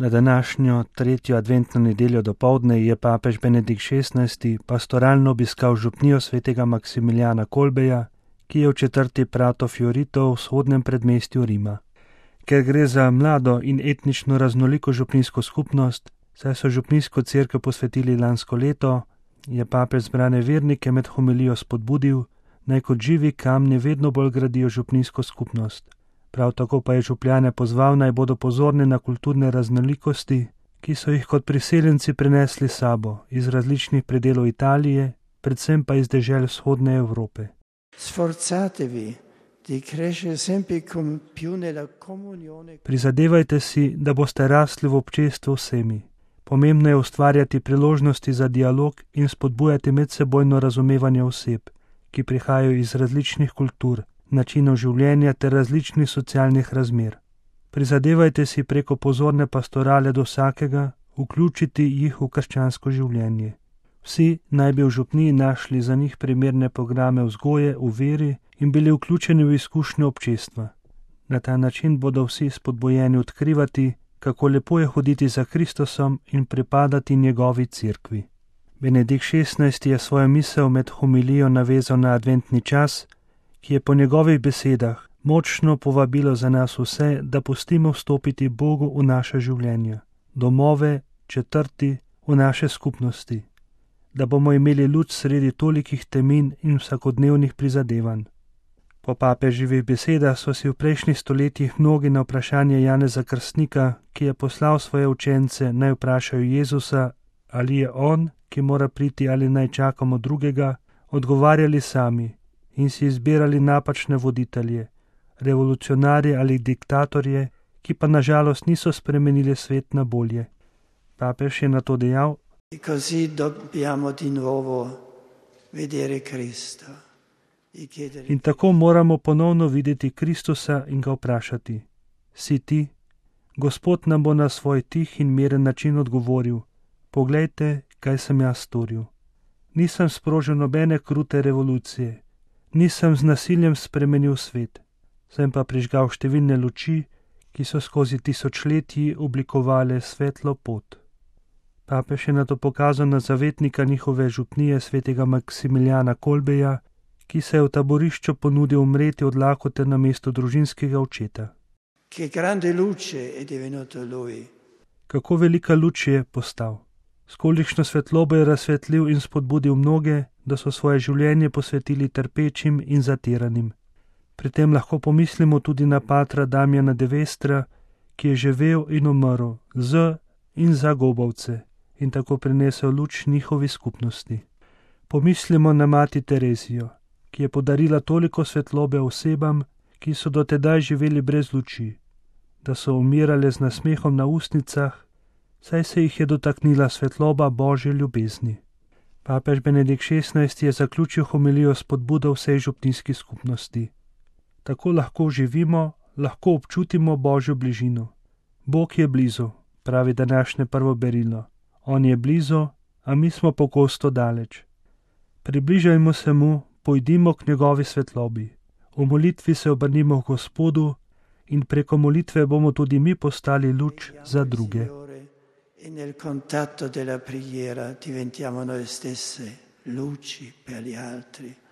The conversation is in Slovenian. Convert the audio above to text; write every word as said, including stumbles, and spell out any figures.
Na današnjo tretjo adventno nedeljo dopoldne je papež Benedikt šestnajsti pastoralno obiskal župnijo svetega Maksimilijana Kolbeja, ki je v četrti Prato Fiorito v vzhodnem predmestju Rima. Ker gre za mlado in etnično raznoliko župnijsko skupnost, saj so župnijsko cerkev posvetili lansko leto, je papež zbrane vernike med homilijo spodbudil, naj kot živi kamni vedno bolj gradijo župnijsko skupnost. Prav tako pa je župljane pozval, naj bodo pozorni na kulturne raznolikosti, ki so jih kot priseljenci prinesli s sabo iz različnih predelov Italije, predvsem pa iz dežel vzhodne Evrope. Sforzatevi di crescere sempre con più nella comunione. Prizadevajte si, da boste rasli v občestvu vsemi. Pomembno je ustvarjati priložnosti za dialog in spodbujati medsebojno razumevanje oseb, ki prihajajo iz različnih kultur, načinov življenja ter različnih socialnih razmer. Prizadevajte si preko pozorne pastorale do vsakega vključiti jih v krščansko življenje. Vsi naj bi v župniji našli za njih primerne programe vzgoje v veri in bili vključeni v izkušnjo občestva. Na ta način bodo vsi spodbujeni odkrivati, kako lepo je hoditi za Kristusom in pripadati njegovi cerkvi. Benedikt šestnajsti je svojo misel med homilijo navezal na adventni čas, ki je po njegovih besedah močno povabilo za nas vse, da pustimo vstopiti Bogu v naše življenja, domove, četrti, v naše skupnosti, da bomo imeli luč sredi tolikih temin in vsakodnevnih prizadevanj. Po papeževih besedah so si v prejšnjih stoletjih mnogi na vprašanje Janeza Krstnika, ki je poslal svoje učence, naj vprašajo Jezusa, ali je on, ki mora priti, ali naj čakamo drugega, odgovarjali sami in si izbirali napačne voditelje, revolucionarje ali diktatorje, ki pa nažalost niso spremenili svet na bolje. Papež je na to dejal: Così dobbiamo di nuovo vedere Cristo. In tako moramo ponovno videti Kristusa in ga vprašati: Si ti? Gospod nam bo na svoj tih in miren način odgovoril: Poglejte, kaj sem jaz storil. Nisem sprožil nobene krute revolucije, nisem z nasiljem spremenil svet, sem pa prižgal številne luči, ki so skozi tisočletji oblikovale svetlo pot. Papež je nato pokazal na zavetnika njihove župnije svetega Maksimilijana Kolbeja, ki se je v taborišču ponudil umreti od lakote na mesto družinskega očeta. Che grande luce è divenuto lui. Kako velika luč je postal. S kolikšno svetlobo je razsvetlil in spodbudil mnoge, da so svoje življenje posvetili trpečim in zatiranim. Pri tem lahko pomislimo tudi na patra Damjana de Vestra, ki je živel in umrl z in za gobavce in tako prinesel luč njihovi skupnosti. Pomislimo na mati Terezijo, ki je podarila toliko svetlobe osebam, ki so dotedaj živeli brez luči, da so umirale z nasmehom na ustnicah, saj se jih je dotaknila svetloba Božje ljubezni. Papež Benedikt šestnajsti je zaključil homilijo s spodbudo vsej župnijski skupnosti. Tako lahko živimo, lahko občutimo Božjo bližino. Bog je blizu, pravi današnje prvo berilo. On je blizu, a mi smo pogosto daleč. Približajmo se mu, pojdimo k njegovi svetlobi. V molitvi se obrnimo k Gospodu in preko molitve bomo tudi mi postali luč za druge. E nel contatto della preghiera diventiamo noi stesse luci per gli altri.